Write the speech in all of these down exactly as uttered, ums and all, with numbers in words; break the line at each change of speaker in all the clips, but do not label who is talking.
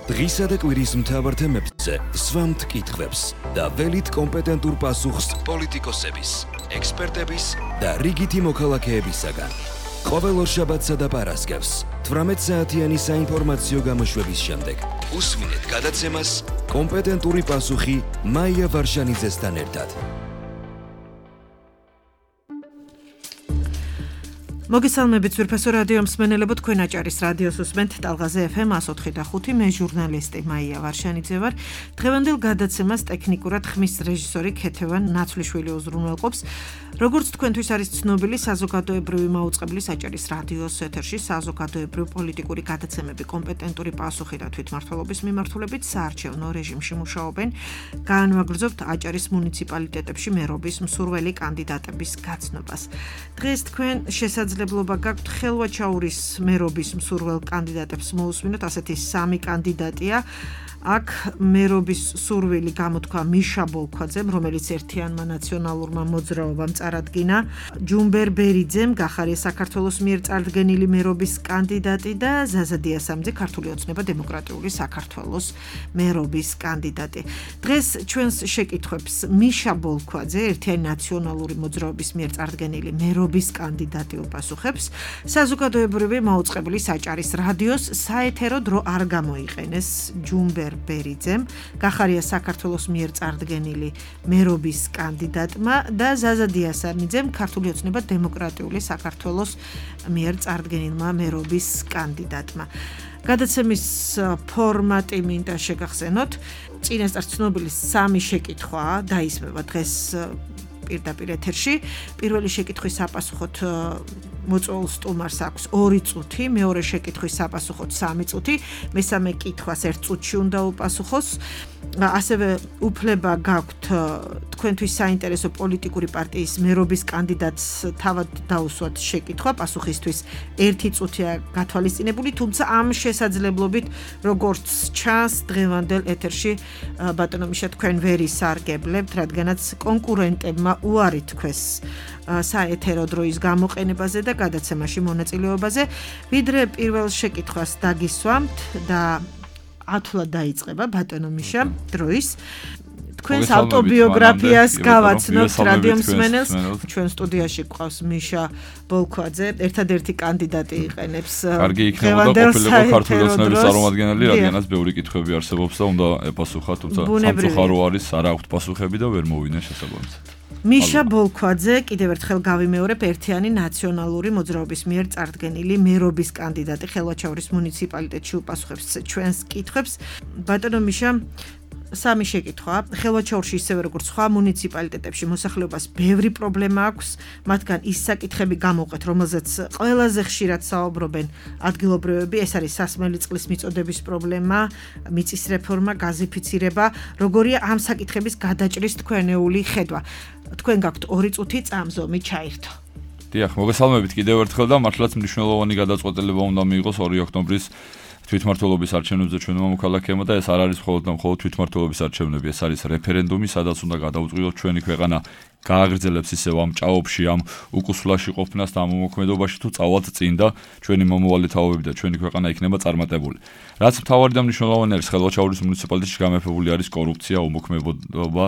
დღისა და კვირის მთავარ თემებზე სვამთ კითხვებს და ველით კომპეტენტურ პასუხს პოლიტიკოსების, ექსპერტების და რიგითი მოქალაქეებისაგან. ყოველ ორშაბათსა და პარასკევს თვრამეტ საათიანი საინფორმაციო გამოშვების შემდეგ უსმინეთ გადაცემას კომპეტენტური პასუხი მაია ვარშანიძესთან ერთად.
მოგესალმებით ძვირფასო რადიო მსმენელებო, თქვენ აჭარის რადიოს უსმენთ ტალღაზე ეფ ემ εκατო ოთხი და ხუთი, მე ჟურნალისტი მაია ვარშანიძე ვარ. დღევანდელ გადაცემას ტექნიკურად ხმის რეჟისორი ქეთევან ნაცვლიშვილი უზრუნველყოფს. როგორც თქვენთვის არის ცნობილი, საზოგადოებრივი მაუწყებლის აჭარის რადიოს ეთერში საზოგადოებრივ პოლიტიკური გადაცემები კომპეტენტური პასუხი და თვითმმართველობის მიმართულებით საარჩევნო რეჟიმში მუშაობენ. გაანვაგრძობთ აჭარის მუნიციპალიტეტებში მერობის მსურველი კანდიდატების გაცნობას. დღეს თქვენ შესაძლებლობა გაქვთ ხელვაჩაურის მერობის მსურველ კანდიდატებს მოусმინოთ, ასეთი სამი კანდიდატია. აქ მერობის სურვილი გამოთქვა მიშა ბოლქვაძემ, რომელიც ერთიანმა ნაციონალურმა მოძრაობამ წარადგინა, ჯუმბერ ბერიძემ, გახარია საქართველოს მიერ წარდგენილი მერობის კანდიდატი და ზაზა დიასამძე, ქართული ოცნება დემოკრატიული საქართველოს მერობის კანდიდატი. დღეს ჩვენს შეკითხვებს მიშა ბოლქვაძე, ერთიანი ნაციონალური მოძრაობის მიერ წარდგენილი მერობის კანდიდატი უპასუხებს. საზოგადოებრივი მაუწყებლის აჭარის რადიოს საეთერო დრო არ გამოიყენეს ჯუმბერ ბერიძემ, გახარია საქართველოს მიერ წარდგენილი მერობის კანდიდატმა და ზაზა დიასამიძემ, ქართული ოცნება დემოკრატიული საქართველოს მიერ წარდგენილმა მერობის კანდიდატმა. გადაცემის ფორმატი მინდა შეგახსენოთ. წინასწარ ცნობილი სამი შეკითხვა დაისმება დღეს პირდაპირ ეთერში. პირველი შეკითხვის საპასუხოდ მოწვეულ სტუმარს აქვს ორი წუთი, მეორე შეკითხვის საპასუხოდ სამი წუთი, მესამე კითხვას ერთ წუთში უნდა უპასუხოს. ასევე უფლება გაქვთ თქვენთვის საინტერესო პოლიტიკური პარტიის მერობის კანდიდატს თავად დაუსვათ შეკითხვა, პასუხისთვის ერთი წუთია გათვალისწინებული, თუმცა ამ შესაძლებლობით, როგორც ჩანს დღევანდელ ეთერში, ბატონო მიშა, თქვენ ვერ ისარგებლებთ, რადგანაც კონკურენტებმა უარი თქვეს საეთერო დროის გამოყენებაზე და გადაცემაში მონაწილეობაზე. ვიდრე პირველ შეკითხვას დაგისვამთ და ათვლად დაიწყება ბატონო მიშა დროის. თქვენს ავტობიოგრაფიას გავაცნობთ რადიო მსმენელს. ჩვენ სტუდიაში გვყავს მიშა ბოლქვაძე, ერთადერთი კანდიდატი იყენებს.
კარგი იქნება და ყოფილიყო ქართული ოცნების წარმომადგენელი, რადგანაც ბევრი კითხვები არსებობს და უნდა ეპასუხა, თუმცა სამწუხარო არის, არ აქვთ პასუხები და ვერ მოვიდნენ შესაბამისად.
მიშა ბოლქვაძე, კიდევ ერთხელ გავიმეორებ, ერთიანი ნაციონალური მოძრაობის მიერ წარდგენილი მერობის კანდიდატი ხელვაჩაურის მუნიციპალიტეტში უპასუხებს ჩვენს კითხვებს. ბატონო მიშა, სამი შეკითხვა. ხელვაჩაურში ისევე როგორც სხვა მუნიციპალიტეტებში მოსახლეობას ბევრი პრობლემა აქვს, მათგან ის საკითხები გამოვყეთ, რომელზეც ყველაზე ხშირად საუბრობენ ადგილობრივები, ეს არის სასმელი წყლის მიწოდების პრობლემა, მიწის რეფორმა, გაზიფიცირება. როგორია ამ საკითხების გადაჭრის თქვენეული ხედვა? თქვენ გაქვთ ორი წუთი წამზომი ჩაირთო.
დიახ, მოგესალმებით კიდევ ერთხელ და მართლაც მნიშვნელოვანი გადაწყვეტილება უნდა მიიღოს ორი ოქტომბრის თვითმმართველობის არჩევნებზე ჩვენმა მოქალაქეებმა და ეს არ არის მხოლოდ და მხოლოდ თვითმმართველობის არჩევნები, ეს არის რეფერენდუმი, სადაც უნდა გადაუწყდეს ჩვენი ქვეყანა გააგრძელებს ისევ ამ ჭაობში, ამ უკუსვლაში ყოფნას და ამ უმოქმედობაში თუ წავალთ წინ და ჩვენი მომავალი თაობები და ჩვენი ქვეყანა იქნება წარმატებული. რაც მთავარი და მნიშვნელოვანი არის, ხელვაჩაურის მუნიციპალიტეტში გამეფებული არის კორუფცია, უმოქმედობა,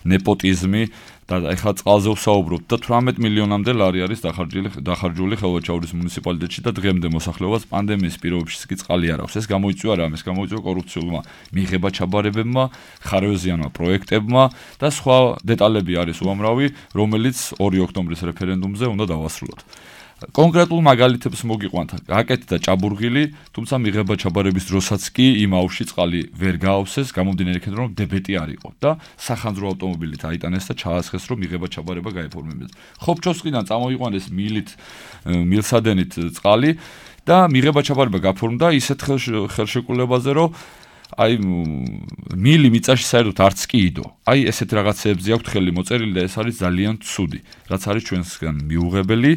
ნეპოტიზმი და ეხლა წყალზე ვსაუბრობთ და თვრამეტ მილიონამდე ლარი არის დახარჯული დახარჯული ხელვაჩაურის მუნიციპალიტეტში და დღემდე მოსახლეობას პანდემიის პირობებში კი წყალი არ აქვს. ეს გამოიწვია რამ? ეს გამოიწვია კორუფციულმა მიღება-ჩაბარებებმა, ხარვეზიანმა პროექტებმა და სხვა დეტალები არის უამრავი, რომელიც ორი ოქტომბრის რეფერენდუმზე უნდა დავასრულოთ. კონკრეტულ მაგალითებს მოგიყვანთ. აკეთდა ჭაბურღილი, თუმცა მიღება-ჩაბარების დროსაც კი იმ აუზში წყალი ვერ გაავსეს, გამომდინარე იქიდან რომ დებეტი არ იყო და სახანძრო ავტომობილით აიტანეს და ჩაასხეს, რომ მიღება-ჩაბარება გაეფორმებინოს. ხობჩოვსკიდან წამოიყვანეს მილით, მილსადენით წყალი და მიღება-ჩაბარება გაფორმდა ისეთ ხელშეკრულებაზე, რომ აი მილი მიწაში საერთოდ არც კი იდო. აი ესეთ რაღაცეებზე აქვთ ხელი მოწერილი და ეს არის ძალიან ცუდი, რაც არის ჩვენსგან მიუღებელი.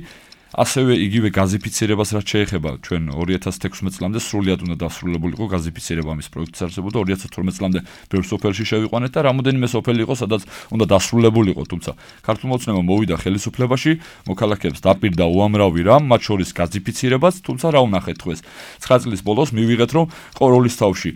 ასევე იგივე გაზიფიცირებას რაც შეეხება ჩვენ ორი ათას თექვსმეტ წლამდე სრულად უნდა დასრულებულიყო გაზიფიცირება ამის პროექტიც არსებობდა ორი ათას თორმეტ წლამდე ბევრ სოფელში შევიყვანეთ და რამოდენიმე სოფელი იყო სადაც უნდა დასრულებულიყო, თუმცა ქართულმა ოცნებამ მოვიდა ხელისუფლებაში, მოქალაქეებს დაპირდა უამრავი რამ, მათ შორის გაზიფიცირებაც, თუმცა რა ვნახეთ დღეს? ცხრა წლის ბოლოს მივიღეთ რომ ყოროლის თავში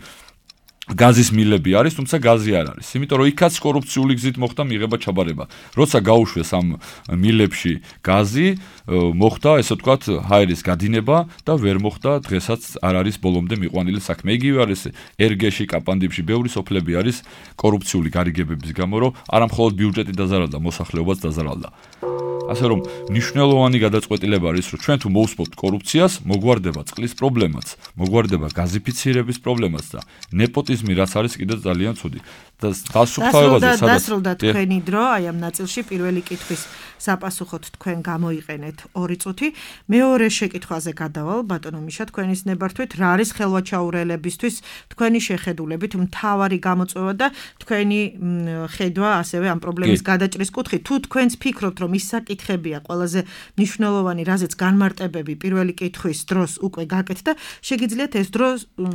გაზის მილები არის, თუმცა გაზი არ არის. იმიტომ რომ იქაც კორუფციული გზით მოხდა მიღება ჩაბარება. როცა გაუშვეს ამ მილებში გაზი, მოხდა ესე ვთქვათ ჰაერის გადინება და ვერ მოხდა დღესაც არ არის ბოლომდე მიყვანილი საქმე. იგივე არის ერგეში, კაპანდიბში, ბევრი სოფლები არის კორუფციული გარიგებების გამო, რომ არა მხოლოდ ბიუჯეტი დაზარალდა, მოსახლეობაც დაზარალდა. ასე რომ მნიშვნელოვანი გადაწყვეტილება არის, რომ ჩვენ თუ მოვსპობთ კორუფციას, მოგვარდება წყლის პრობლემაც, მოგვარდება გაზიფიცირების პრობლემაც და ნეპოტიზმი რაც არის კიდევ ძალიან ცუდი. და დასუფთავებაზე სადაც
დასრულდა თქვენი დრო, აი ამ ნაწილში პირველი კითხვის საპასუხოდ თქვენ გამოიყენეთ ორი წუთი. მეორე შეკითხვაზე გადავალ, ბატონო მიშა, თქვენის ნებართვით, რა არის ხელვაჩაურელებისთვის თქვენი შეხედულებით მთავარი გამოწვევა და თქვენი ხედვა ასევე ამ პრობლემის გადაჭრის კუთხით. თუ თქვენც ფიქრობთ, რომ ის საკითხებია ყველაზე მნიშვნელოვანი, რაზეც განმარტებები პირველი კითხვის დროს უკვე გაკეთდა, შეგიძლიათ ეს დრო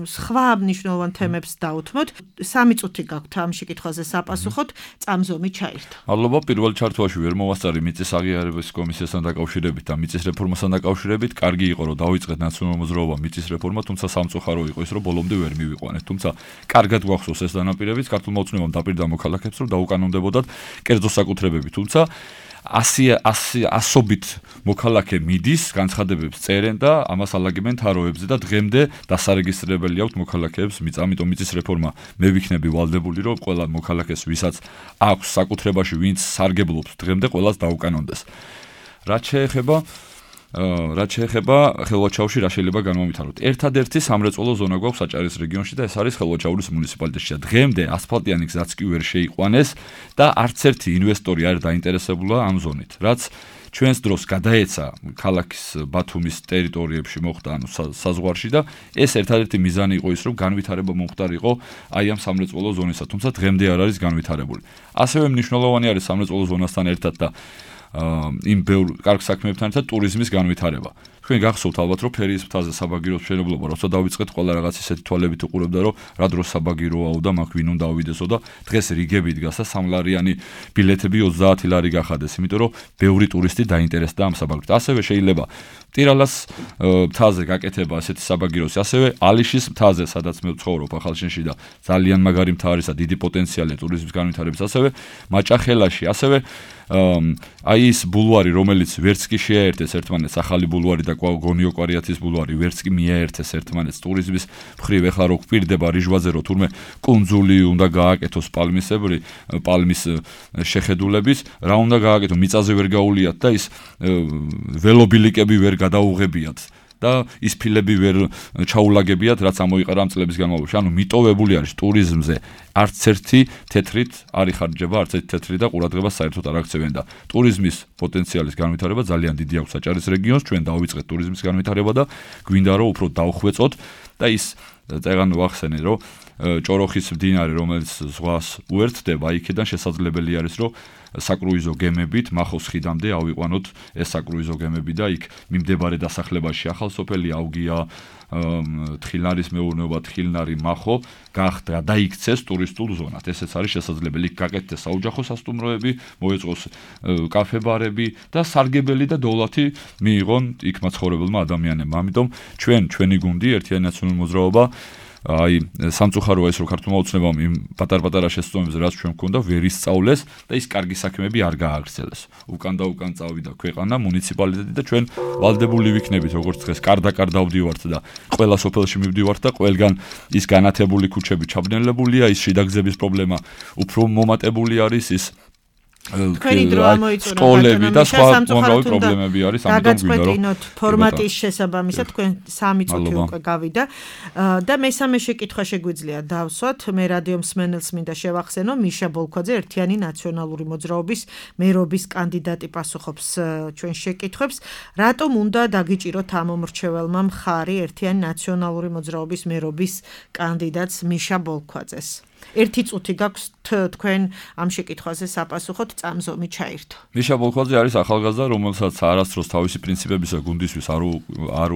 სხვა მნიშვნელოვან თემებს დაუთმოთ. სამი წუთი გაქვთ ამ შეკითხვაზე საპასუხოდ, წამზომი ჩაირთო.
მადლობა, პირველ ჩართვაში ვერ მოვასწარი მიწის აღიარების კომისიასთან დაკავშირებით და მიწის რეფორმასთან დაკავშირებით. კარგი იყო, რომ დავიწყეთ ნაციონალურ მოძრაობამ მიწის რეფორმა, თუმცა სამწუხარო იყო ის, რომ ბოლომდე ვერ მივიყვანეთ. თუმცა კარგად გვახსოვს ეს დანაპირებიც, ქართულმა ოცნებამ დაპირდა მოქალაქეებს, რომ დაუკანონდებოდათ კერძო საკუთრებები, თუმცა ასობით მოქალაქე მიდის, განცხადებებს წერენ და ამას ალაგებენ თაროებზე და დღემდე დასარეგისტრირებელი აქვს მოქალაქეებს. ამიტომ მიწის რეფორმა მე ვიქნები ვალდებული, რომ ყველა მოქალაქეს, ვისაც აქვს საკუთრებაში, ვინც სარგებლობს, დღემდე ყველას დაუკანონდეს. რაც შეეხება რაც შეეხება ხელვაჩაურში რა შეიძლება განმომითაროთ. ერთადერთი სამრეწველო ზონა გვაქვს საჭარის რეგიონში და ეს არის ხელვაჩაურის მუნიციპალიტეტში. დღემდე ასფალტიანი გზაც კი ვერ შეიყვანეს და არც ერთი ინვესტორი არ დაინტერესებულა ამ ზონით. რაც ჩვენს დროს გადაეცა ქალაქის ბათუმის ტერიტორიებში მოხდა, ანუ საზღვარში და ეს ერთადერთი მიზანი იყო ის, რომ განვითარება მომხდარიყო აი ამ სამრეწველო ზონისა, თუმცა დღემდე არ არის განვითარებული. ასევე მნიშვნელოვანი არის სამრეწველო ზონასთან ერთად და იმ ბევრ კარგ საქმეებთან ერთად ტურიზმის განვითარება. თქვენ გახსოვთ ალბათ, რომ ფერიის მთაზე საბაგიროს მშენებლობა, როცა დავიწყეთ, ყველა რაღაც ისეთი თვალებით უყურებდა, რომ რა დროს საბაგიროაო და მაგ ვინ უნდა ავიდესო და დღეს რიგები დგას და სამლარიანი ბილეთები ოცდაათი ლარი გახადეს, იმიტომ რომ ბევრი ტურისტი დაინტერესდა ამ საბაგიროთ. ასევე შეიძლება ტირალას მთაზე გაკეთება ასეთი საბაგიროსი, ასევე ალიშის მთაზე, სადაც მე ვცხოვრობ ახალშენში და ძალიან მაგარი მთა არის და დიდი პოტენციალია ტურიზმის განვითარების, ასევე მაჭახელაში, ასევე აი ის ბულვარი, რომელიც ვერც კი შეაერთეს ერთმანეთს, ახალი ბულვარი და გონიო კვარიათის ბულვარი, ვერც კი მიაერთეს ერთმანეთს ტურიზმის მხრივ. ეხლა რო გვპირდება რიჟვაზე, რო თურმე კუნძული უნდა გააკეთოს პალმისებრი, პალმის შეხედულების, რა უნდა გააკეთო, მიწაზე ვერ გაულიათ და ის ველობილიკები ვერ გადაუღებიათ და ის ფილები ვერ ჩაულაგებიათ, რაც ამოიყარა ამ წლების განმავლობაში. ანუ მიტოვებული არის ტურიზმზე არც ერთი თეთრით არ იხარჯება, არც ერთი თეთრი და ყურადღებას საერთოდ არ აქცევენ და ტურიზმის პოტენციალის განვითარება ძალიან დიდი აქვს საჭარის რეგიონს. ჩვენ დავიწყეთ ტურიზმის განვითარება და გვინდა რომ უფრო დავხვეწოთ და ის წეგან ვახსენე, რომ ჭოროხის მდინარე, რომელიც ზღვას უერთდება, იქიდან შესაძლებელი არის, რომ საკრუიზო გემებით მახოს ხიდამდე ავიყვანოთ ეს საკრუიზო გემები და იქ მიმდებარე დასახლებაში ახალსოფელი, ავგია, თხილნარის მეურნეობა, თხილნარი, მახო გახდა და იქცეს ტურისტულ ზონად. ესეც არის შესაძლებელი. იქ გაკეთდეს საოჯახო სასტუმროები, მოეწყოს კაფე-ბარები და სარგებელი და დოვლათი მიიღონ იქ მაცხოვრებელმა ადამიანებმა. ამიტომ ჩვენ, ჩვენი გუნდი, ერთიანი ნაციონალური მოძრაობა, აი სამწუხაროა ის, რომ ქართულმა ოცნებამ იმ პატარ-პატარა შესწავლებზე, რაც ჩვენ გვქონდა, ვერ ისწავლეს და ის კარგი საქმეები არ გააგრძელეს. უკან და უკან წავიდა ქვეყანა, მუნიციპალიტეტი და ჩვენ ვალდებული ვიქნებით, როგორც დღეს კარდაკარ დავდივართ და ყველა სოფელში მივდივართ და ყველგან ის განათებული ქუჩები ჩაბნელებულია, ის შიდაგზების პრობლემა უფრო მომატებული არის, ის
თქვენი დრო ამოიწურა
სკოლები და სხვა უამრავი პრობლემები არის, ამიტომ გვინდა რომ
გაგაწყვეტინოთ ფორმატის შესაბამისად, თქვენ სამი წუთი უკვე გავიდა და მესამე შეკითხვა შეგვიძლია დავსვათ. მე რადიო მსმენელს მინდა შევახსენო, მიშა ბოლქვაძე, ერთიანი ნაციონალური მოძრაობის მერობის კანდიდატი, პასუხობს ჩვენ შეკითხვებს. რატომ უნდა დაგიჭიროთ ამ მომრჩეველმა მხარი ერთიანი ნაციონალური მოძრაობის მერობის კანდიდატს მიშა ბოლქვაძეს? ერთი წუთი გაქვს თქვენ ამ შეკითხვაზე საპასუხოდ, წამზომი ჩაირთო.
მიშა ბოლქვაძე არის ახალგაზრდა, რომელსაც არასდროს თავისი პრინციპებისა გუნდისთვის არ არ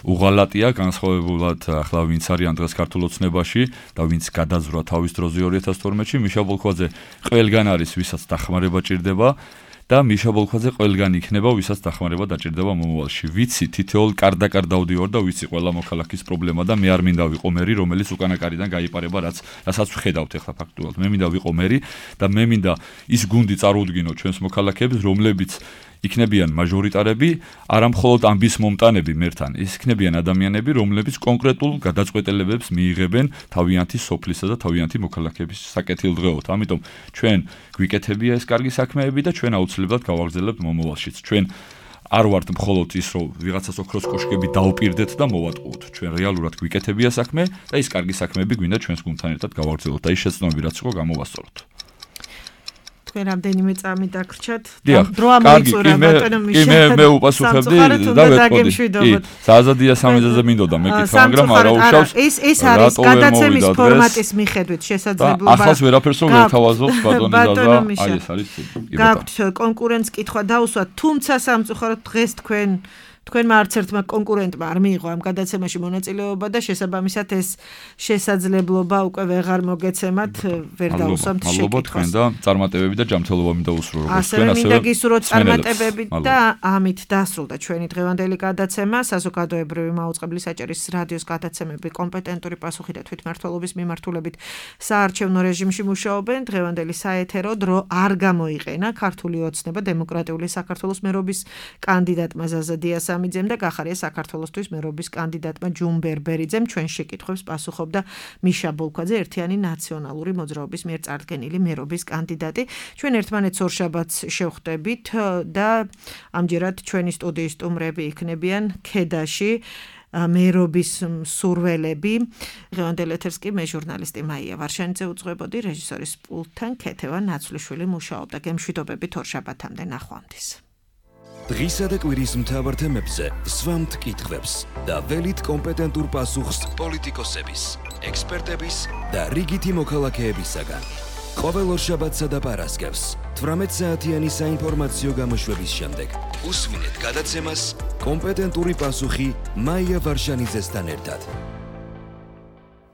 უღალატია, განსხვავებულად ახლა ვინც არიან დღეს ქართულ ოცნებაში და ვინც გადაზრა თავის დროზე ორი ათას თორმეტში. მიშა ბოლქვაძე ყველგან არის, ვისაც დახმარება ჭირდება. და მიშა ბოლქვაძე ყველგან იქნება, ვისაც დახმარება დაჭირდება მომავალში. ვიცი, თითოეულ კარდაკარ დავდივარ და ვიცი ყველა მოქალაქის პრობლემა და მე არ მინდა ვიყო მერი, რომელიც უკანაკარიდან გაიპარება, რაც რასაც ვხედავთ ახლა ფაქტუალურად. მე მინდა ვიყო მერი და მე მინდა ის გუნდი წარუდგინო ჩვენს მოქალაქეებს, რომლებიც იქნებიან მაჟორიტარები, არა მხოლოდ ამბის მომტანები მერთან, ის იქნებიან ადამიანები, რომლებიც კონკრეტულ გადაწყვეტილებებს მიიღებენ თავიანთი სოფლისა და თავიანთი მოქალაქეების საკეთილდღეოდ. ამიტომ ჩვენ გვიკეთებია ეს კარგი საქმეები და ჩვენ აუცილებლად გავაგრძელებთ მომავალშიც. ჩვენ არ ვართ მხოლოდ ის, რომ ვიღაცას ოქროს კოშკები დავპირდეთ და მოვატყუოთ. ჩვენ რეალურად გვიკეთებია საქმე და ის კარგი საქმეები გვინდა ჩვენს გუნდთან ერთად გავაგრძელოთ და ის შეცდომები რაც იყო გამოვასწოროთ.
თქვენ რამდენიმე წამი დაგრჩათ
დრო ამოიწურა ბატონო მიშა მე მე უპასუხებდი და ვეთყოდი კი სააზადია სამიზაზე მინდოდა მე კითხა მაგრამ არა უშავს
ეს ეს არის გადაცემის ფორმატის მიხედვით შესაძლებლობა
ახლა ვერაფერს რომ ვეთავაზობ ბატონი ზაზა აი ეს არის
გაქვთ კონკურენტს კითხვა დაუსვათ თუმცა სამწუხაროდ დღეს თქვენ თქვენმა არც ერთმა კონკურენტმა არ მიიღო ამ გადაცემაში მონაწილეობა და შესაბამისად ეს შესაძლებლობა უკვე ვეღარ მოგეცემათ ვერ დაუსვამთ შეკითხვას.
მადლობა თქვენ და წარმატებები და ჯანმრთელობა მინდა უსურვო როგორც
თქვენ ასევე მინდა გისურვოთ წარმატებები და ამით დასრულდა ჩვენი დღევანდელი გადაცემა საზოგადოებრივი მაუწყებლის საჭირის რადიოს გადაცემები კომპეტენტური პასუხი და თვითმმართველობის მიმართულებით საარჩევნო რეჟიმში მუშაობენ დღევანდელი საეთერო დრო არ გამოიყენა ქართული ოცნება დემოკრატიული საქართველოს მერობის კანდიდატმა ზაზადიას ამიძემ და გახარია საქართველოსთვის მერობის კანდიდატმა ჯუმ ბერბერიძემ ჩვენ შეკითხვებს პასუხობდა მიშა ბოლქვაძე ერთიანი ნაციონალური მოძრაობის მიერ წარდგენილი მერობის კანდიდატი ჩვენ ერთმანეთს ორშაბათს შევხვდებით და ამჯერად ჩვენი სტუდიის სტუმრები იქნებიან ქედაში მერობის მსურველები დღევანდელ ეთერს კი მე ჟურნალისტი მაია ვარშანიძე უძღვებოდი რეჟისორის პულტთან ქეთევან ნაცვლიშვილი მუშაობდა გემშვიდობებით ორშაბათამდე ნახვამდის
დღისა და კვირის მთავარ თემებზე სვამთ კითხვებს და ველით კომპეტენტურ პასუხს პოლიტიკოსების, ექსპერტების და რიგითი მოქალაქეებისაგან. ყოველ ორშაბათსა და პარასკევს თვრამეტ საათიანი საინფორმაციო გამოშვების შემდეგ უსმინეთ გადაცემას კომპეტენტური პასუხი მაია ვარშანიძესთან ერთად.